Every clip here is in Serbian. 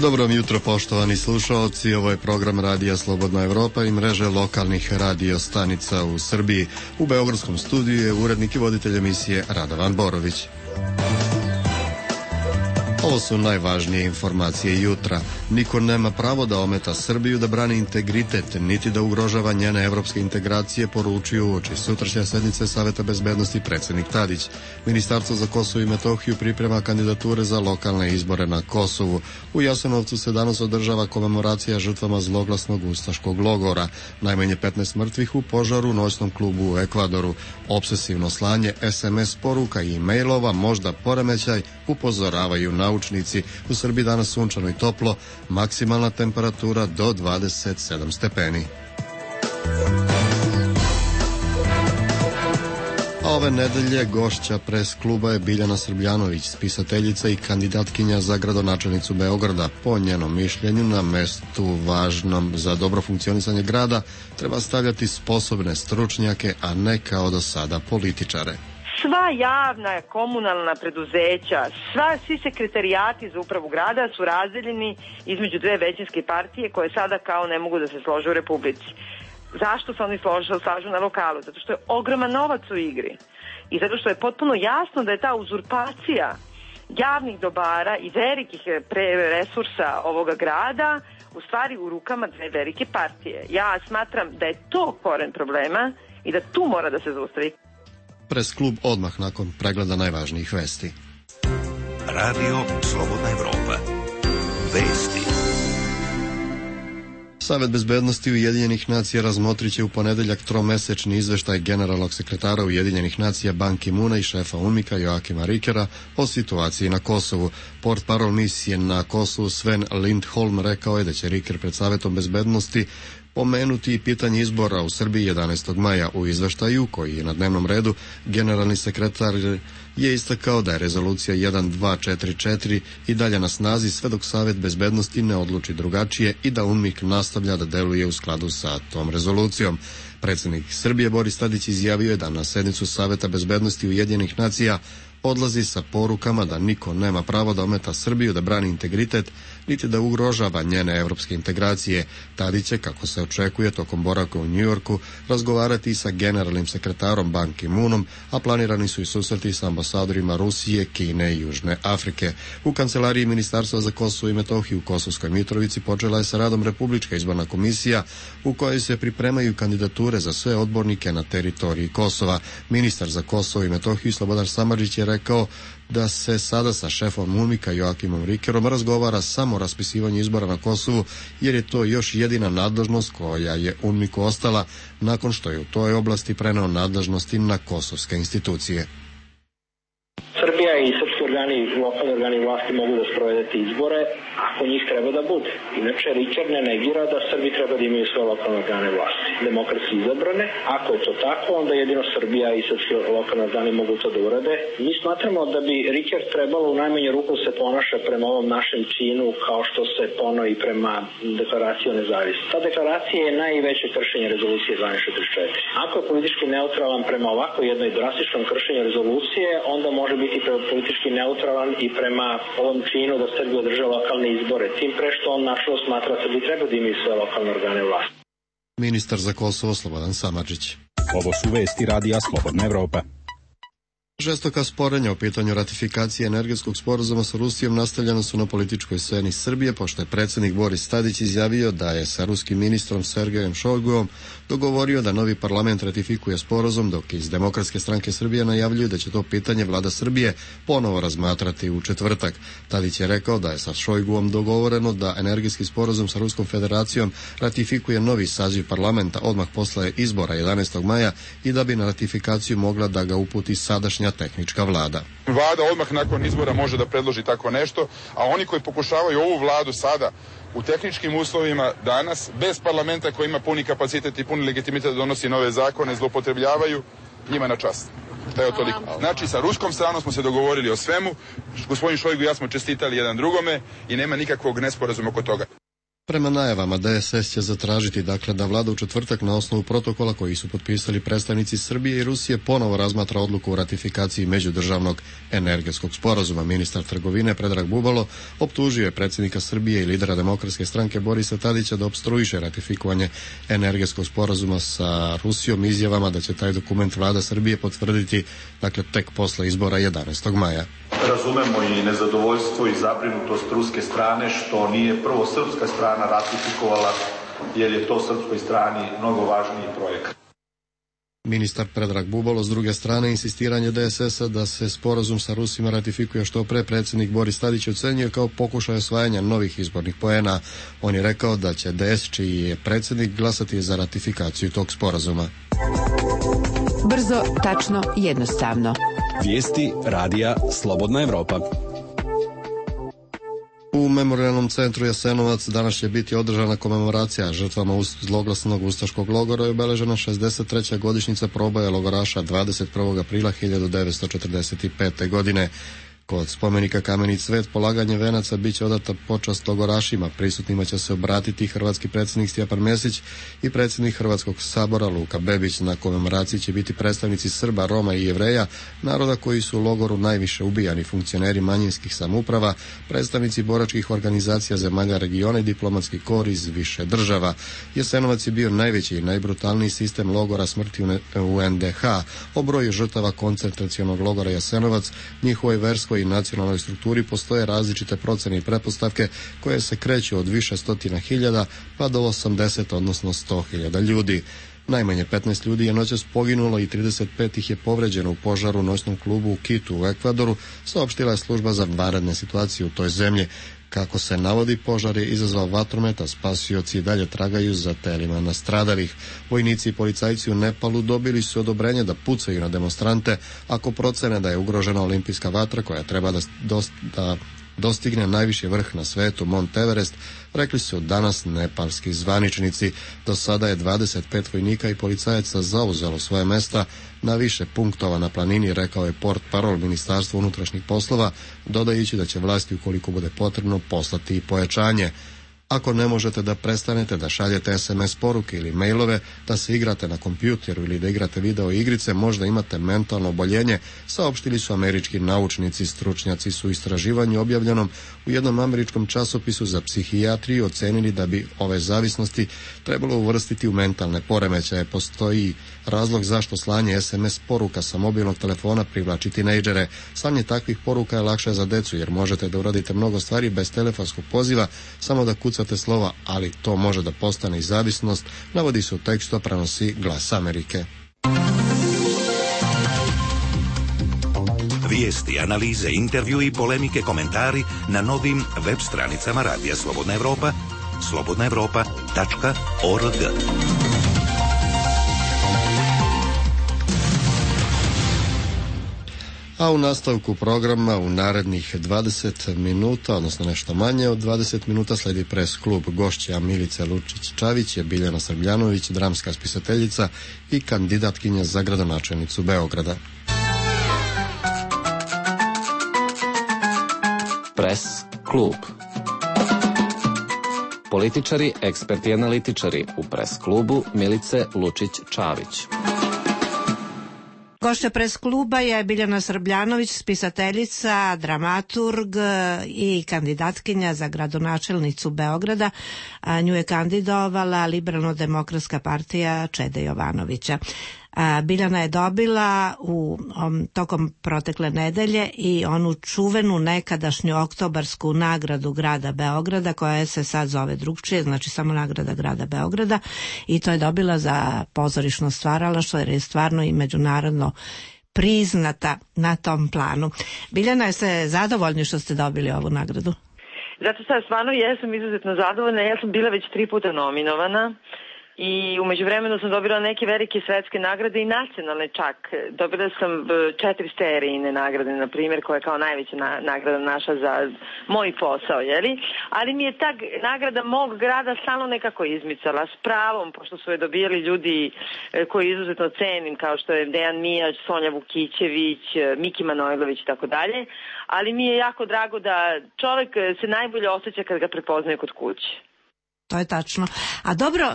Dobro jutro, poštovani slušaoci, ovo je program Radija Slobodna Evropa i mreže lokalnih radio stanica u Srbiji. U beogradskom studiju je urednik i voditelj emisije Radovan Borović. Ovo su najvažnije informacije jutra. Niko nema pravo da ometa Srbiju, da brani integritet, niti da ugrožava njene evropske integracije, poručuju uoči sutrašnje sednice Saveta bezbednosti predsjednik Tadić. Ministarstvo za Kosovo i Metohiju priprema kandidature za lokalne izbore na Kosovu. U Jasenovcu se danas održava komemoracija žrtvama zloglasnog ustaškog logora. Najmanje 15 mrtvih u požaru u noćnom klubu u Ekvadoru. Obsesivno slanje SMS poruka i e-mailova, možda poremećaj, upozoravaju naučnici. U Srbiji danas sunčano i toplo, maksimalna temperatura do 27 stepeni. A ove nedelje gošća pres kluba je Biljana Srbljanović, spisateljica i kandidatkinja za gradonačelnicu Beograda. Po njenom mišljenju, na mestu važnom za dobro funkcionisanje grada treba stavljati sposobne stručnjake, a ne kao do sada političare. Sva javna komunalna preduzeća, svi sekretarijati za upravu grada su razdeljeni između dve većinske partije koje sada kao ne mogu da se slože u Republici. Zašto se oni slažu na lokalu? Zato što je ogroman novac u igri i zato što je potpuno jasno da je ta uzurpacija javnih dobara i velikih resursa ovoga grada u stvari u rukama dve velike partije. Ja smatram da je to koren problema i da tu mora da se zaustavi. Pres klub odmah nakon pregleda najvažnijih vesti. Radio Slobodna Evropa. Vesti. Savet bezbednosti Ujedinjenih nacija razmotrit će u ponedeljak tromesečni izveštaj generalnog sekretara Ujedinjenih nacija Ban Ki-moona i šefa UNMIK-a Joakima Rikera o situaciji na Kosovu. Portparol misije na Kosovu Sven Lindholm rekao je da će Riker pred Savetom bezbednosti pomenuti i pitanje izbora u Srbiji 11. maja. U izveštaju, koji je na dnevnom redu, generalni sekretar je istakao da je rezolucija 1244 i dalje na snazi sve dok Savet bezbednosti ne odluči drugačije i da UNMIK nastavlja da deluje u skladu sa tom rezolucijom. Predsjednik Srbije Boris Tadić izjavio je da na sednicu Saveta bezbednosti Ujedinjenih nacija odlazi sa porukama da niko nema pravo da ometa Srbiju, da brani integritet, niti da ugrožava njene evropske integracije. Tadić će, kako se očekuje, tokom boravka u Njujorku razgovarati sa generalnim sekretarom Ban Ki-moonom, a planirani su i susreti sa ambasadorima Rusije, Kine i Južne Afrike. U kancelariji Ministarstva za Kosovo i Metohiju u Kosovskoj Mitrovici počela je sa radom Republička izborna komisija u kojoj se pripremaju kandidature za sve odbornike na teritoriji Kosova. Ministar za Kosovo i Metohiju Slobodan Samardžić je rekao da se sada sa šefom UNMIK-a Joakimom Rikerom razgovara samo o raspisivanju izbora na Kosovu, jer je to još jedina nadležnost koja je UNMIK-u ostala nakon što je u toj oblasti preneo nadležnosti na kosovske institucije. Srbija i srpski organi, lokalni organi vlasti mogu da sprovedete izbore ako njih treba da bude. Inače, Riker ne negira da Srbi treba da imaju sve lokalne organe vlasti, demokratski izabrane. Ako je to tako, onda jedino Srbija i srpski lokalni organi mogu to da urade. Mi smatramo da bi Riker trebalo u najmanju ruku se ponaša prema ovom našem činu kao što se pono i prema deklaraciji o nezavisnosti. Ta deklaracija je najveće kršenje rezolucije 1244. Ako je politički neutralan prema ovako jednoj drastičnom kršenju rezolucije, onda može biti politički neutralan i prema ovom činu da Srbija održa lokalne izbore. Tim pre što on našao smatra da bi treba da imaju sve lokalne organe vlasti. Ministar za Kosovo Slobodan Samardžić. Ovo su vesti Radija Slobodna Evropa. Žestoka sporenja o pitanju ratifikacije energetskog sporazuma sa Rusijom nastavljena su na političkoj sceni Srbije, pošto je predsjednik Boris Tadić izjavio da je sa ruskim ministrom Sergejem Šojguom dogovorio da novi parlament ratifikuje sporazum, dok iz Demokratske stranke Srbije najavljuju da će to pitanje vlada Srbije ponovo razmatrati u četvrtak. Tadić je rekao da je sa Šojguom dogovoreno da energetski sporazum sa Ruskom federacijom ratifikuje novi saziv parlamenta odmah posle izbora 11. maja i da bi na ratifikaciju mogla da ga uputi sadašnja tehnička vlada. Vlada odmah nakon izbora može da predloži tako nešto, a oni koji pokušavaju ovu vladu sada u tehničkim uslovima danas, bez parlamenta koji ima puni kapacitet i puni legitimitet da donosi nove zakone, zloupotrebljavaju, njima na čast. Evo toliko. Znači, sa ruskom stranom smo se dogovorili o svemu, gospodin Šojgu i ja smo čestitali jedan drugome i nema nikakvog nesporazuma oko toga. Prema najavama, DSS će zatražiti da vlada u četvrtak na osnovu protokola koji su potpisali predstavnici Srbije i Rusije ponovo razmatra odluku o ratifikaciji međudržavnog energetskog sporazuma. Ministar trgovine Predrag Bubalo optužio je predsjednika Srbije i lidera Demokratske stranke Borisa Tadića da opstruiše ratifikovanje energetskog sporazuma sa Rusijom izjavama da će taj dokument vlada Srbije potvrditi tek posle izbora 11. maja. Razumemo i nezadovoljstvo i zabrinutost ruske strane što nije prvo srpska strana ratifikovala, jer je to srpskoj strani mnogo važniji projekat. Ministar Predrag Bubalo s druge strane insistiranje DSS-a da se sporazum sa Rusima ratifikuje što pre predsjednik Boris Tadić ocenjuje kao pokušaj osvajanja novih izbornih poena. On je rekao da će DS, čiji je predsjednik, glasati za ratifikaciju tog sporazuma. Brzo, tačno, jednostavno. Vijesti radija Slobodna Evropa. U Memorijalnom centru Jasenovac danas će biti održana komemoracija žrtvama zloglasnog ustaškog logora i obeležena 63. godišnjica proboja logoraša 21. aprila 1945. godine. Kod spomenika Kameni cvet polaganje venaca bit će odata počast logorašima. Prisutnima će se obratiti hrvatski predsjednik Stjepan Mesić i predsjednik Hrvatskog sabora Luka Bebić. Na komemoraciji će biti predstavnici Srba, Roma i Jevreja, naroda koji su u logoru najviše ubijani, funkcioneri manjinskih samouprava, predstavnici boračkih organizacija zemalja regiona i diplomatski kor iz više država. Jasenovac je bio najveći i najbrutalniji sistem logora smrti u NDH. O broju žrtava koncentracionog logora Jasenovac, njihovoj verskoj i nacionalnoj strukturi postoje različite procene i pretpostavke koje se kreću od više stotina hiljada pa do 80, odnosno 100.000 ljudi. Najmanje 15 ljudi je noćas poginulo i 35 ih je povređeno u požaru u noćnom klubu u Kitu u Ekvadoru, saopštila je služba za vanredne situacije u toj zemlji. Kako se navodi, požar je izazvao vatromet, a spasioci i dalje tragaju za telima nastradalih. Vojnici i policajci u Nepalu dobili su odobrenje da pucaju na demonstrante ako procene da je ugrožena olimpijska vatra koja treba da dostigne najviši vrh na svetu, Mont Everest, rekli su danas nepalski zvaničnici. Do sada je 25 vojnika i policajaca zauzelo svoje mesta na više punktova na planini, rekao je portparol Ministarstva unutrašnjih poslova, dodajući da će vlasti, ukoliko bude potrebno, poslati i pojačanje. Ako ne možete da prestanete da šaljete SMS poruke ili mailove, da se igrate na kompjuteru ili da igrate video igrice, možda imate mentalno oboljenje, saopštili su američki naučnici. Stručnjaci su u istraživanju objavljenom u jednom američkom časopisu za psihijatriju ocenili da bi ove zavisnosti trebalo uvrstiti u mentalne poremećaje. Postoji razlog zašto slanje SMS poruka sa mobilnog telefona privlači tinejdžere. Slanje takvih poruka je lakše za decu jer možete da uradite mnogo stvari bez telefonskog poziva, samo da kucate slova, ali to može da postane i zavisnost, navodi se u tekstu, a prenosi Glas Amerike. Vijesti, analize, intervju i polemike, komentari na novim web stranicama Radija Slobodna Evropa, slobodnaevropa.org. A u nastavku programa u narednih 20 minuta, odnosno nešto manje od 20 minuta, sledi pres klub. Gošća Milica Lučić-Čavić je Biljana Srbljanović, dramska spisateljica i kandidatkinja za gradonačelnicu Beograda. Pres klub. Političari, eksperti i analitičari u pres klubu Milice Lučić-Čavić. Gošća pres kluba je Biljana Srbljanović, spisateljica, dramaturg i kandidatkinja za gradonačelnicu Beograda. Nju je kandidovala Liberalno-demokratska partija Čede Jovanovića. Biljana je dobila tokom protekle nedelje i onu čuvenu nekadašnju oktobarsku nagradu grada Beograda, koja se sad zove drugčije, znači samo nagrada grada Beograda, i to je dobila za pozorišno stvaralaštvo jer je stvarno i međunarodno priznata na tom planu. Biljana, jeste zadovoljni što ste dobili ovu nagradu? Zato sad stvarno jesam izuzetno zadovoljna. Ja sam bila već 3 puta nominovana. I umeđu vremenu sam dobila neke velike svetske nagrade i nacionalne čak. Dobila sam 4 sterijine nagrade, na primjer, koja je kao najveća nagrada naša za moj posao, jeli? Ali mi je ta nagrada mog grada stalno nekako izmicala, s pravom, pošto su je dobijali ljudi koji izuzetno cenim, kao što je Dejan Mijač, Sonja Vukićević, Miki Manojlović i tako dalje. Ali mi je jako drago da čovjek se najbolje osjeća kad ga prepoznaju kod kuće. To je tačno. A dobro,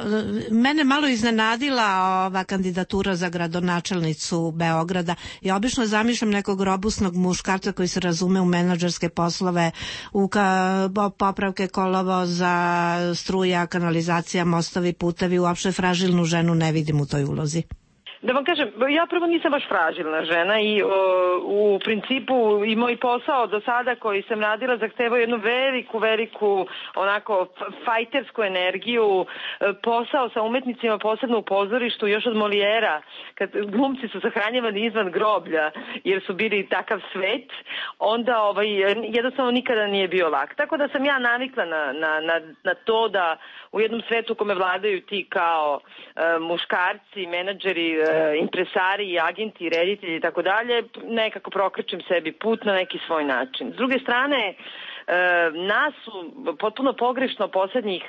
mene malo iznenadila ova kandidatura za gradonačelnicu Beograda. Ja obično zamišljam nekog robusnog muškarca koji se razume u menadžerske poslove, u popravke kolovoza, struja, kanalizacija, mostovi, putevi, uopšte fražilnu ženu ne vidim u toj ulozi. Da vam kažem, ja prvo nisam baš fražilna žena i u principu i moj posao do sada koji sam radila zahtevao jednu veliku onako fajtersku energiju, posao sa umetnicima posebno u pozorištu još od Molijera, kad glumci su sahranjivani izvan groblja jer su bili takav svet, onda jednostavno nikada nije bio lak. Tako da sam ja navikla na to da u jednom svetu kome vladaju ti kao muškarci, menadžeri, impresari, agenti, reditelji i tako dalje, nekako prokrčim sebi put na neki svoj način. S druge strane, nas su potpuno pogrešno poslednjih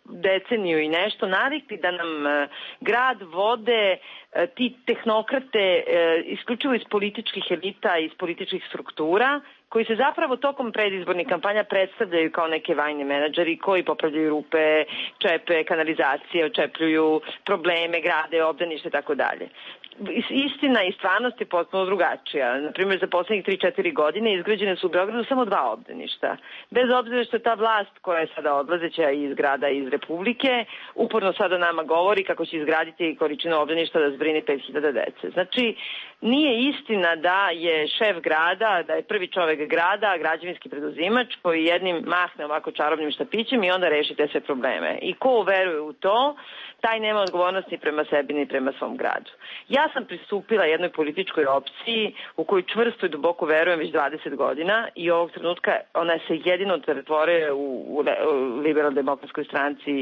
deceniju i nešto navikli da nam grad vode ti tehnokrate isključivo iz političkih elita, iz političkih struktura, koji se zapravo tokom predizbornih kampanja predstavljaju kao neke vajne menadžeri koji popravljaju rupe, čepe, kanalizacije, očepljuju probleme, grade, obdanište i tako dalje. Istina i stvarnost je potpuno drugačija. Naprimjer, za poslednjih 3-4 godine izgrađene su u Beogradu samo 2 obdaništa. Bez obzira što je ta vlast koja je sada odlazeća iz grada iz Republike, uporno sada nama govori kako će izgraditi količinu obdaništa da zbrini 5000 dece. Znači, nije istina da je šef grada, da je prvi čovek grada, građevinski preduzimač koji jednim mahne ovako čarobnim štapićem i onda reši te sve probleme. I ko veruje u to, taj nema odgovornost ni prema sebi ni prema svom gradu. Ja sam pristupila jednoj političkoj opciji u koju čvrsto i duboko verujem već 20 godina i ovog trenutka ona se jedino pretvorila u Liberalno-demokratskoj stranci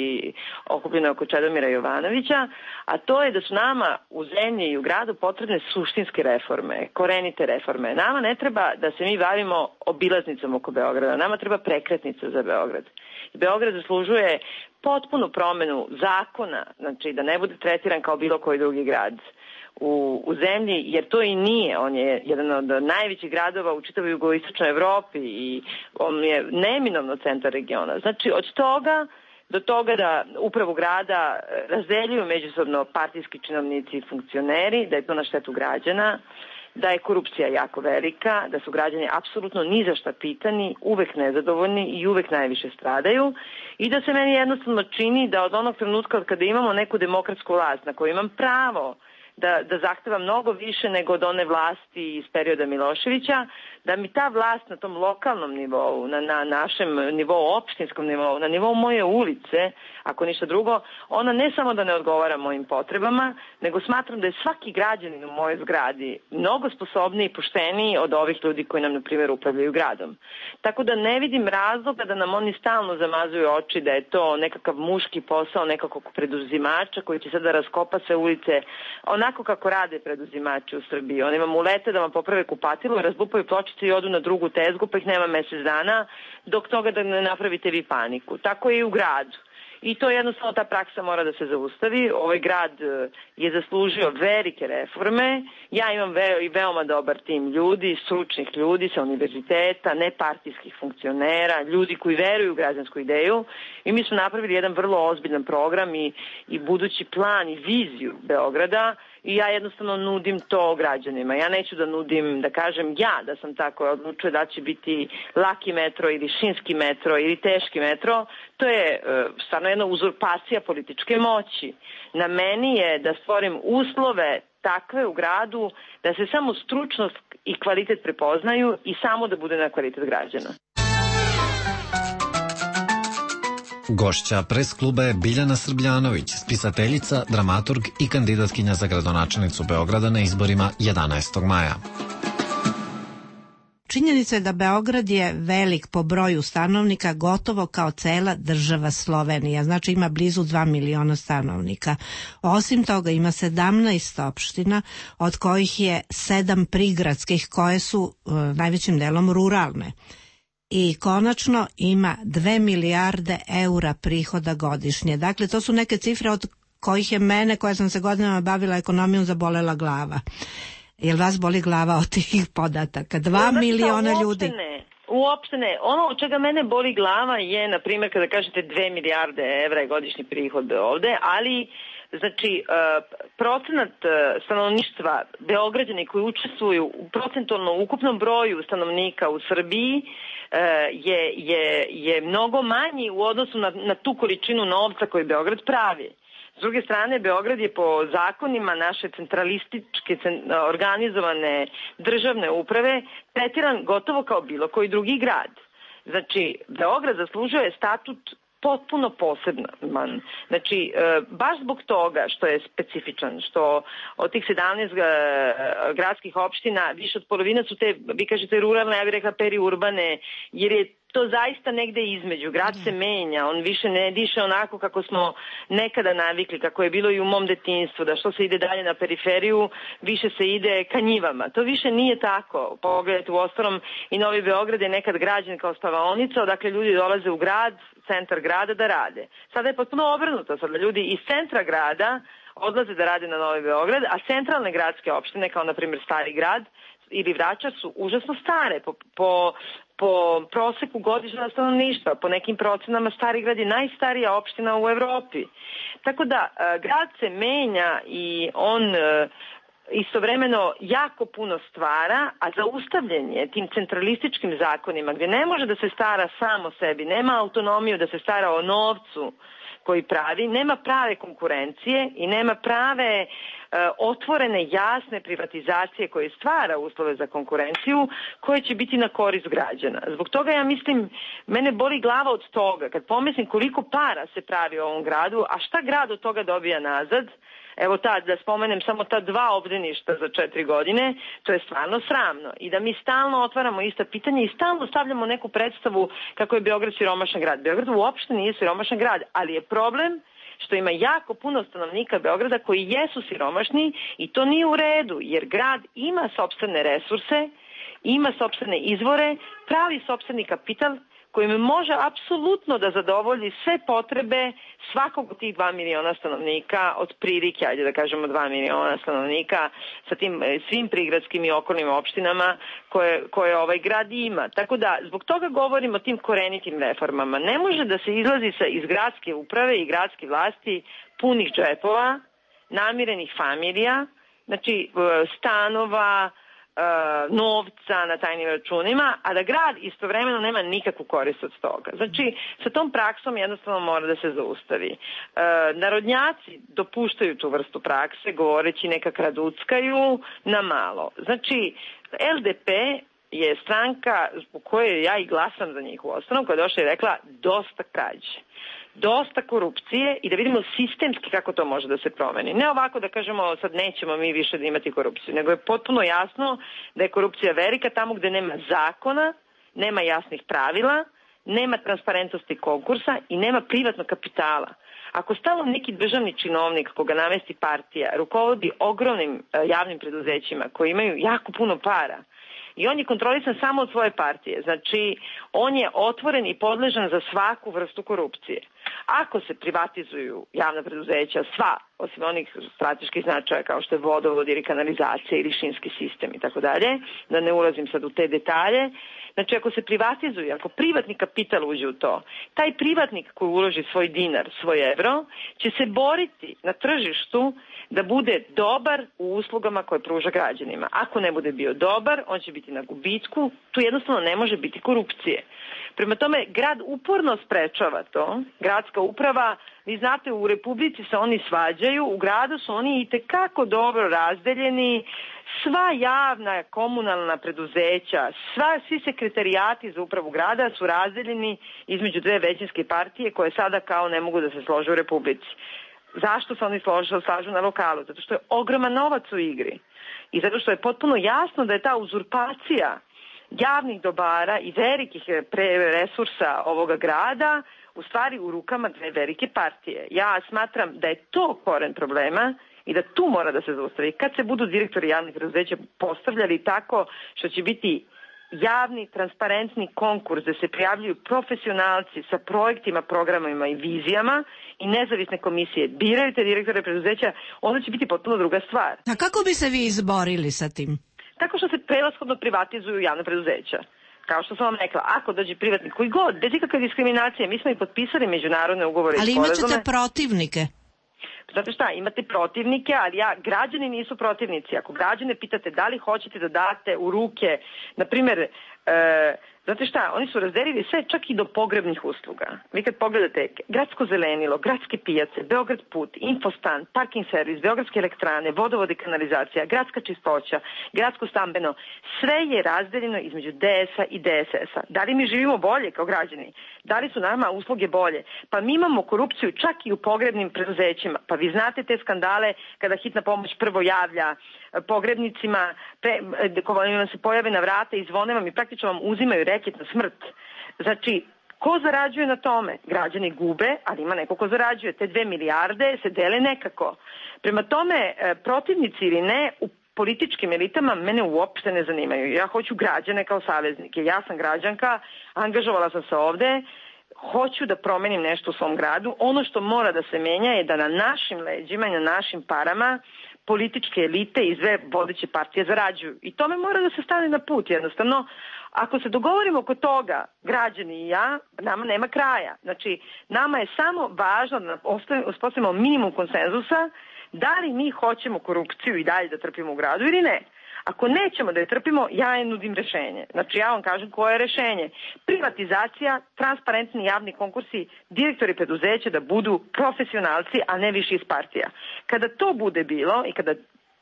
okupljena oko Čedomira Jovanovića, a to je da su nama u zemlji i u gradu potrebne suštinske reforme, korenite reforme. Nama ne treba da se mi bavimo obilaznicom oko Beograda, nama treba prekretnica za Beograd. Beograd zaslužuje potpunu promenu zakona, znači da ne bude tretiran kao bilo koji drugi grad u zemlji, jer to i nije. On je jedan od najvećih gradova u čitavoj jugoistočnoj Evropi i on je neminovno centar regiona. Znači od toga do toga da upravu grada razdeljuju međusobno partijski činovnici i funkcioneri, da je to na štetu građana, da je korupcija jako velika, da su građani apsolutno ni za šta pitani, uvek nezadovoljni i uvek najviše stradaju i da se meni jednostavno čini da od onog trenutka od kada imamo neku demokratsku vlast na koju imam pravo da zahteva mnogo više nego od one vlasti iz perioda Miloševića, da mi ta vlast na tom lokalnom nivou, na našem nivou, opštinskom nivou, na nivou moje ulice, ako ništa drugo, ona ne samo da ne odgovara mojim potrebama, nego smatram da je svaki građanin u mojoj zgradi mnogo sposobniji i pošteniji od ovih ljudi koji nam, na primjer, upravljaju gradom. Tako da ne vidim razloga da nam oni stalno zamazuju oči da je to nekakav muški posao nekakvog preduzimača koji će sada raskopa sve ulice onako kako rade preduzimači u Srbiji. Oni vam ulete da vam poprave kupatilo, razlupaju pločice i odu na drugu tezgu, pa ih nema mesec dana, dok toga da ne napravite vi paniku. Tako je i u gradu. I to jednostavno ta praksa mora da se zaustavi. Ovaj grad je zaslužio velike reforme. Ja imam veoma dobar tim ljudi, stručnih ljudi sa univerziteta, nepartijskih funkcionera, ljudi koji veruju u građansku ideju i mi smo napravili jedan vrlo ozbiljan program i budući plan i viziju Beograda i ja jednostavno nudim to građanima. Ja neću da nudim, da kažem ja da sam tako odlučio da će biti laki metro ili šinski metro ili teški metro. To je stvarno jedna uzurpacija političke moći. Na meni je da stvorim uslove takve u gradu da se samo stručnost i kvalitet prepoznaju i samo da bude na kvalitet građana. Gošća pres kluba je Biljana Srbljanović, spisateljica, dramaturg i kandidatkinja za gradonačelnicu Beograda na izborima 11. maja. Činjenica je da Beograd je velik po broju stanovnika, gotovo kao cela država Slovenija, znači ima blizu 2 miliona stanovnika. Osim toga ima 17 opština, od kojih je 7 prigradskih koje su najvećim delom ruralne. I konačno ima 2 milijarde eura prihoda godišnje. Dakle, to su neke cifre od kojih je mene, koja sam se godinama bavila ekonomijom, zabolela glava. Jel vas boli glava od tih podataka? 2 miliona ljudi. U uopšte ne. Ono od čega mene boli glava je, na primjer, kada kažete 2 milijarde evra je godišnji prihod ovde, ali znači procenat stanovništva Beograđani koji učestvuju u procentualno ukupnom broju stanovnika u Srbiji je mnogo manji u odnosu na tu količinu novca koju Beograd pravi. S druge strane, Beograd je po zakonima naše centralističke organizovane državne uprave tretiran gotovo kao bilo koji drugi grad. Znači, Beograd zaslužuje statut potpuno poseban. Znači, baš zbog toga što je specifičan, što od tih 17 gradskih opština više od polovine su te, vi kažete ruralne, ja bih rekla periurbane, jer je to zaista negde između. Grad se menja, on više ne diše onako kako smo nekada navikli, kako je bilo i u mom detinjstvu, da što se ide dalje na periferiju, više se ide ka njivama. To više nije tako. Pogledajte, u ostalom i Novi Beograd je nekad građen kao spavaonica, odakle ljudi dolaze u grad, centar grada da rade. Sada je potpuno obrnuto, sada ljudi iz centra grada odlaze da rade na Novi Beograd, a centralne gradske opštine, kao na primjer Stari grad ili Vračar, su užasno stare po proseku godišnjeg stanovništva. Po nekim procenama Stari grad je najstarija opština u Evropi. Tako da grad se menja i on istovremeno jako puno stvara, a zaustavljen je tim centralističkim zakonima gdje ne može da se stara sam o sebi, nema autonomiju da se stara o novcu koji pravi, nema prave konkurencije i nema prave otvorene, jasne privatizacije koje stvara uslove za konkurenciju koje će biti na korist građana. Zbog toga ja mislim, mene boli glava od toga kad pomislim koliko para se pravi u ovom gradu, a šta grad od toga dobija nazad. Evo da spomenem samo ta 2 obdaništa za 4 godine, to je stvarno sramno. I da mi stalno otvaramo ista pitanja i stalno stavljamo neku predstavu kako je Beograd siromašan grad. Beograd uopšte nije siromašan grad, ali je problem što ima jako puno stanovnika Beograda koji jesu siromašni i to nije u redu, jer grad ima sopstvene resurse, ima sopstvene izvore, pravi sopstveni kapital kojim može apsolutno da zadovolji sve potrebe svakog od tih 2 miliona stanovnika, od prilike, ajde da kažemo 2 miliona stanovnika sa tim svim prigradskim i okolnim opštinama koje ovaj grad ima. Tako da, zbog toga govorimo o tim korenitim reformama. Ne može da se izlazi iz gradske uprave i gradske vlasti punih džepova, namirenih familija, znači stanova, novca na tajnim računima, a da grad istovremeno nema nikakvu korist od toga. Znači, sa tom praksom jednostavno mora da se zaustavi. Narodnjaci dopuštaju tu vrstu prakse, govoreći neka kraduckaju na malo. Znači, LDP je stranka zbog koje ja i glasam za njih u osnovu, koja je došla i rekla dosta krađe, dosta korupcije i da vidimo sistemski kako to može da se promeni. Ne ovako da kažemo sad nećemo mi više da imati korupciju, nego je potpuno jasno da je korupcija velika tamo gde nema zakona, nema jasnih pravila, nema transparentnosti konkursa i nema privatnog kapitala. Ako stalno neki državni činovnik koga namesti partija rukovodi ogromnim javnim preduzećima koji imaju jako puno para i on je kontrolisan samo od svoje partije, znači on je otvoren i podležan za svaku vrstu korupcije. Ako se privatizuju javna preduzeća, sva, osim onih strateških značaja kao što je vodovod ili kanalizacija ili šinski sistem i tako dalje, da ne ulazim sad u te detalje, znači ako se privatizuje, ako privatni kapital uđe u to, taj privatnik koji uloži svoj dinar, svoj evro, će se boriti na tržištu da bude dobar u uslugama koje pruža građanima. Ako ne bude bio dobar, on će biti na gubitku, tu jednostavno ne može biti korupcije. Prema tome, grad uporno sprečava to, gradska uprava, vi znate, u Republici se oni svađaju, u gradu su oni itekako dobro razdeljeni, sva javna komunalna preduzeća, svi sekretarijati za upravu grada su razdeljeni između 2 većinske partije koje sada kao ne mogu da se slože u Republici. Zašto se oni slažu na lokalu? Zato što je ogroman novac u igri i zato što je potpuno jasno da je ta uzurpacija javnih dobara i velikih resursa ovoga grada u stvari u rukama 2 velike partije. Ja smatram da je to koren problema i da tu mora da se zaustavi. Kad se budu direktori javnih preduzeća postavljali tako što će biti javni, transparentni konkurs da se prijavljuju profesionalci sa projektima, programima i vizijama i nezavisne komisije biraju te direktore preduzeća, onda će biti potpuno druga stvar. A kako bi se vi izborili sa tim? Tako što se prevashodno privatizuju javna preduzeća. kao što sam vam rekla, ako dođe privatnik koji god, bez ikakve diskriminacije, mi smo i potpisali međunarodne ugovore i sporazume. Ali imat ćete protivnike. Znate šta, imate protivnike, ali građani nisu protivnici. Ako građane pitate da li hoćete da date u ruke, na primjer, znate šta, oni su razdelili sve čak i do pogrebnih usluga. Vi kad pogledate gradsko zelenilo, gradske pijace, Beograd put, infostan, parking servis, beogradske elektrane, vodovod i kanalizacija, gradska čistoća, gradsko stambeno, sve je razdeljeno između DS-a i DSS-a. Da li mi živimo bolje kao građani? Da li su nama usluge bolje? Pa mi imamo korupciju čak i u pogrebnim preduzećima. Pa vi znate te skandale kada hitna pomoć prvo javlja pogrebnicima, kojima se pojave na vrata i zvone vam i praktično vam uzimaju reket na smrt. Znači, ko zarađuje na tome? Građani gube, ali ima neko ko zarađuje. Te 2 milijarde se dele nekako. Prema tome, protivnici ili ne, u političkim elitama mene uopšte ne zanimaju. Ja hoću građane kao saveznike. Ja sam građanka, angažovala sam se ovde, hoću da promenim nešto u svom gradu. Ono što mora da se menja je da na našim leđima i na našim parama političke elite i sve vodeće partije zarađuju. I tome mora da se stane na put jednostavno. Ako se dogovorimo oko toga, građani i ja, nama nema kraja. Znači, nama je samo važno da uspostavimo minimum konsenzusa da li mi hoćemo korupciju i dalje da trpimo u gradu ili ne. Ako nećemo da je trpimo, ja je nudim rešenje. Znači, ja vam kažem koje je rešenje. Privatizacija, transparentni javni konkursi, direktori preduzeća da budu profesionalci, a ne više iz partija. Kada to bude bilo i kada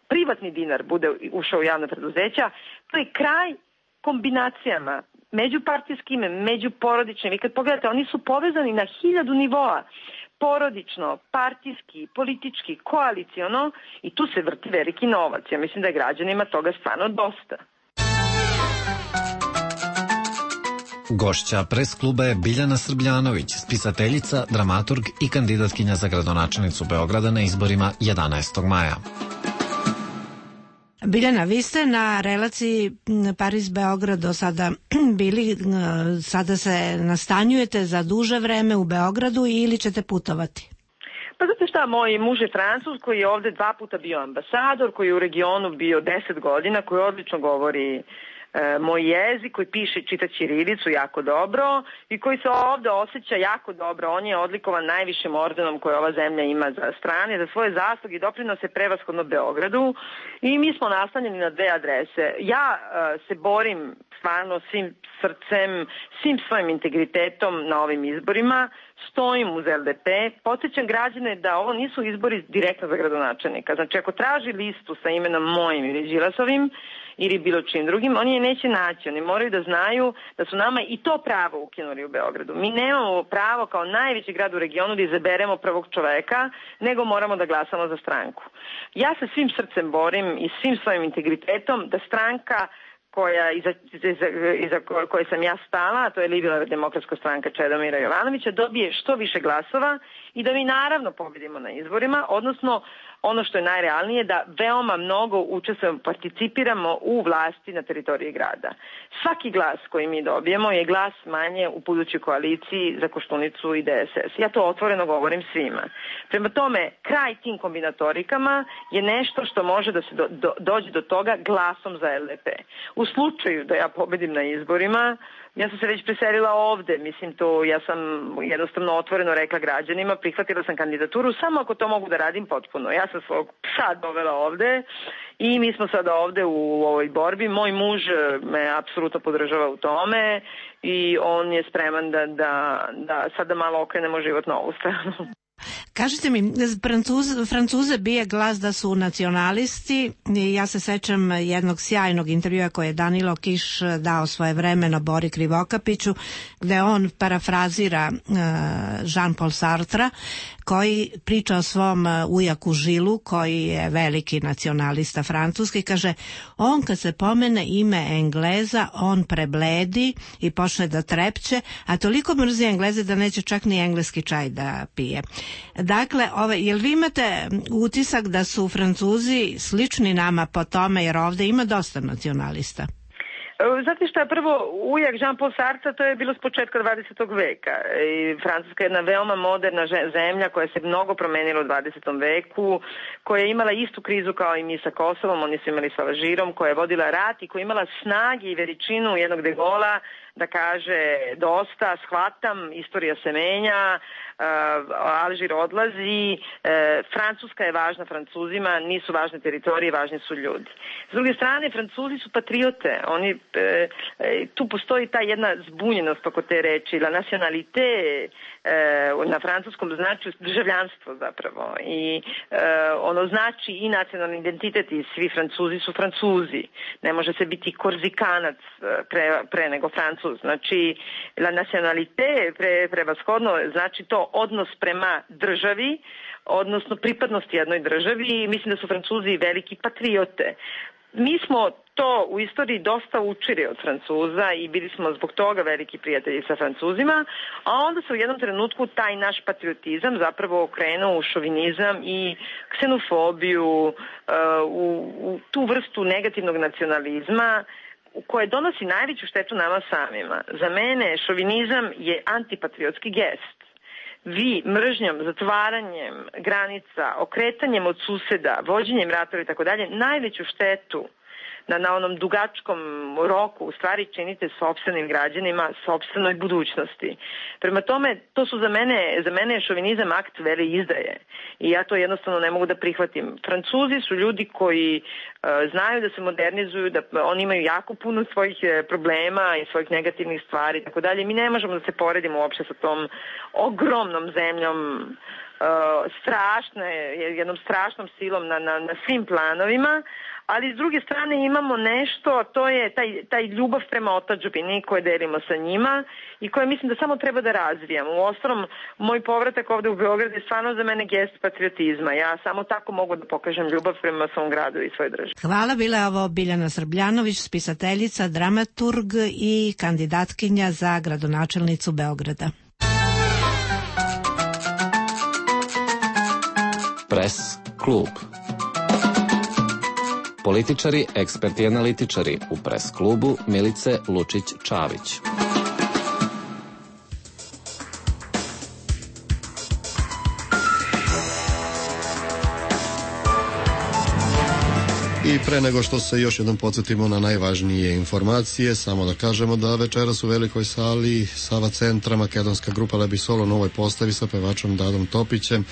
privatni dinar bude ušao u javna preduzeća, to je kraj kombinacijama međupartijskim, međuporodičnim. I kad pogledate, oni su povezani na 1000 nivoa. Porodično, partijski, politički, koaliciono i tu se vrti veliki novac. Ja mislim da je građanima toga stvarno dosta. Gošća pres kluba je Biljana Srbljanović, spisateljica, dramaturg i kandidatkinja za gradonačelnicu Beograda na izborima 11. maja. Biljana, vi ste na relaciji Pariz-Beograd do sada bili, sada se nastanjujete za duže vreme u Beogradu ili ćete putovati? Pa znate šta, moj muž je Francuz koji je ovde 2 puta bio ambasador, koji je u regionu bio 10 godina, koji odlično govori moj jezik, koji piše i čita ćirilicu jako dobro i koji se ovde osjeća jako dobro. On je odlikovan najvišim ordenom koje ova zemlja ima za strane, za svoje zasluge i doprinose prevashodno Beogradu i mi smo nastanjeni na 2 adrese. Ja se borim stvarno svim srcem, svim svojim integritetom na ovim izborima, stojim uz LDP, podsjećam građane da ovo nisu izbori direktno za gradonačelnika. Znači, ako traži listu sa imenom mojim ili Đilasovim ili bilo čim drugim, oni je neće naći. Oni moraju da znaju da su nama i to pravo ukinuli u Beogradu. Mi nemamo pravo kao najveći grad u regionu da izaberemo prvog čoveka, nego moramo da glasamo za stranku. Ja se svim srcem borim i svim svojim integritetom da stranka iza koje sam ja stala, a to je Liberalna demokratska stranka Čedomira Jovanovića, dobije što više glasova i da mi naravno pobedimo na izborima, odnosno ono što je najrealnije da veoma mnogo učestvujemo, participiramo u vlasti na teritoriji grada. Svaki glas koji mi dobijemo je glas manje u budućoj koaliciji za Koštunicu i DSS. Ja to otvoreno govorim svima. Prema tome, kraj tim kombinatorikama je nešto što može da se dođe do toga glasom za LDP. U slučaju da ja pobedim na izborima, ja sam se već preselila ovde, mislim to, ja sam jednostavno otvoreno rekla građanima, prihvatila sam kandidaturu, samo ako to mogu da radim potpuno. Ja sam svog psa dovela ovde i mi smo sada ovde u ovoj borbi. Moj muž me apsolutno podržava u tome i on je spreman da sada malo okrenemo život na ovu stranu. Kažite mi, Francuze bije glas da su nacionalisti. Ja se sećam jednog sjajnog intervjua koje je Danilo Kiš dao svojevremeno Bori Krivokapiću, gde on parafrazira Jean-Paul Sartra, koji priča o svom ujaku Žilu, koji je veliki nacionalista francuski. Kaže, on kad se pomene ime Engleza, on prebledi i počne da trepće, a toliko mrzi Engleze da neće čak ni engleski čaj da pije. Dakle, jel vi imate utisak da su Francuzi slični nama po tome, jer ovde ima dosta nacionalista? Znate šta, prvo ujak Jean-Paul Sartre, to je bilo s početka 20. veka. I Francuska je jedna veoma moderna zemlja koja se mnogo promenila u 20. veku, koja je imala istu krizu kao i mi sa Kosovom, oni su imali sa Alžirom, koja je vodila rat i koja je imala snagi i veličinu jednog De Gaulea da kaže dosta, shvatam, istorija se menja, Alžir odlazi, Francuska je važna Francuzima, nisu važne teritorije, važni su ljudi. S druge strane, Francuzi su patriote, oni, tu postoji ta jedna zbunjenost oko te reči, la nacionalité na francuskom znači državljanstvo zapravo i ono znači i nacionalni identitet i svi Francuzi su Francuzi, ne može se biti Korzikanac pre nego Francuz, znači la nacionalité prevashodno znači to odnos prema državi, odnosno pripadnost jednoj državi i mislim da su Francuzi veliki patriote. Mi smo to u istoriji dosta učili od Francuza i bili smo zbog toga veliki prijatelji sa Francuzima, a onda se u jednom trenutku taj naš patriotizam zapravo okrenuo u šovinizam i ksenofobiju, u tu vrstu negativnog nacionalizma koje donosi najveću štetu nama samima. Za mene šovinizam je antipatriotski gest. Vi mržnjom, zatvaranjem granica, okretanjem od suseda, vođenjem ratova i tako dalje, najveću štetu na onom dugačkom roku u stvari činite sopstvenim građanima, sopstvenoj budućnosti. Prema tome, to su za mene je šovinizam akt vele izdaje i ja to jednostavno ne mogu da prihvatim. Francuzi su ljudi koji znaju da se modernizuju, da oni imaju jako puno svojih problema i svojih negativnih stvari i tako dalje. Mi ne možemo da se poredimo uopšte sa tom ogromnom zemljom, jednom strašnom silom na svim planovima, ali s druge strane imamo nešto, to je taj ljubav prema otadžbini koje delimo sa njima i koje mislim da samo treba da razvijamo. Uostalom, moj povratak ovde u Beograd je stvarno za mene gest patriotizma. Ja samo tako mogu da pokažem ljubav prema svom gradu i svojoj državi. Hvala, bila je ovo Biljana Srbljanović, spisateljica, dramaturg i kandidatkinja za gradonačelnicu Beograda. Pres klub. Političari, eksperti i analitičari u Pres klubu Milice Lučić-Čavić. I pre nego što se još jednom podsjetimo na najvažnije informacije, samo da kažemo da večeras u velikoj sali Sava centra makedonska grupa Lebisolo u novoj postavi sa pevačom Dadom Topićem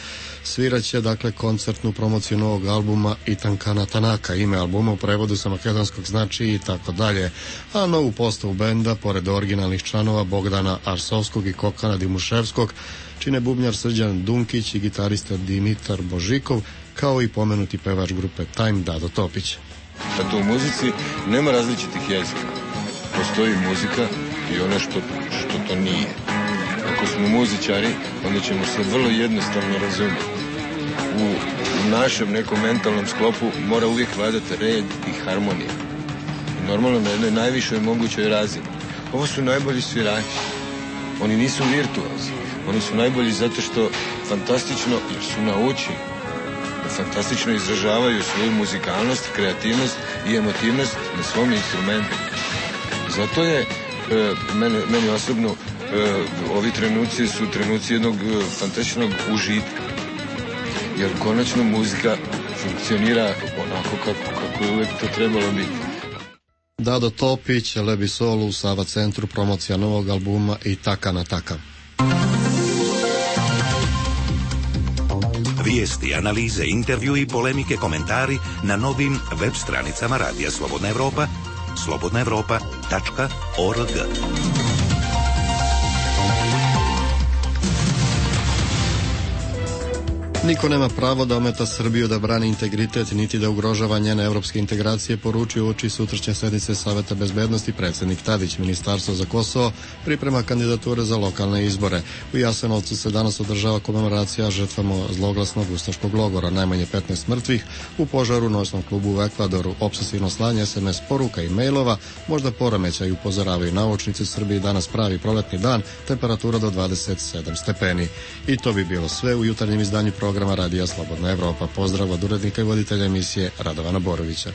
sviraće dakle koncertnu promociju novog albuma Itankana Tanaka. Ime albuma u prevodu sa makedonskog znači i tako dalje. A novu postavu benda, pored originalnih članova Bogdana Arsovskog i Kokana Dimuševskog, čine bubnjar Srđan Dunkić i gitarista Dimitar Božikov, kao i pomenuti pevač grupe Time Dado Topić. Zato u muzici nema različitih jezika. Postoji muzika i ono što to nije. Ako smo muzičari, onda ćemo se vrlo jednostavno razumjeti. U našem nekom mentalnom sklopu mora uvijek vladati red i harmonija. I normalno na jednoj najvišoj mogućoj razini. Ovo su najbolji svirači. Oni nisu virtuozi. Oni su najbolji zato što fantastično, jer su naučili, fantastično izražavaju svoju muzikalnost, kreativnost i emotivnost na svom instrumentu. Zato je meni osobno ovi trenuci su trenuci jednog fantastičnog užitka. Jer konačno muzika funkcionira onako kako je uvijek to trebalo biti. Dado Topić, Lebisolo u Sava centru, promocija novog albuma I taka na taka. Vijesti, analize, intervju i polemike, komentari na novim web stranicama Radija Slobodna Evropa, slobodnaevropa.org. Niko nema pravo da ometa Srbiju da brani integritet niti da ugrožava njene evropske integracije, poručio uoči sutrašnje sednice Saveta bezbednosti predsjednik Tadić. Ministarstvo za Kosovo priprema kandidature za lokalne izbore. U Jasenovcu se danas održava komemoracija žrtvama zloglasnog ustaškog logora. Najmanje 15 mrtvih u požaru u noćnom klubu u Ekvadoru. Opsesivno slanje SMS poruka i mailova, možda poremećaj, upozoravaju naučnici. U Srbiji danas pravi proletni dan, temperatura do 27 stepeni. I to bi bilo sve u jutarnjem izdanju programa Radija Slobodna Evropa. Pozdrav od urednika i voditelja emisije Radovana Borovića.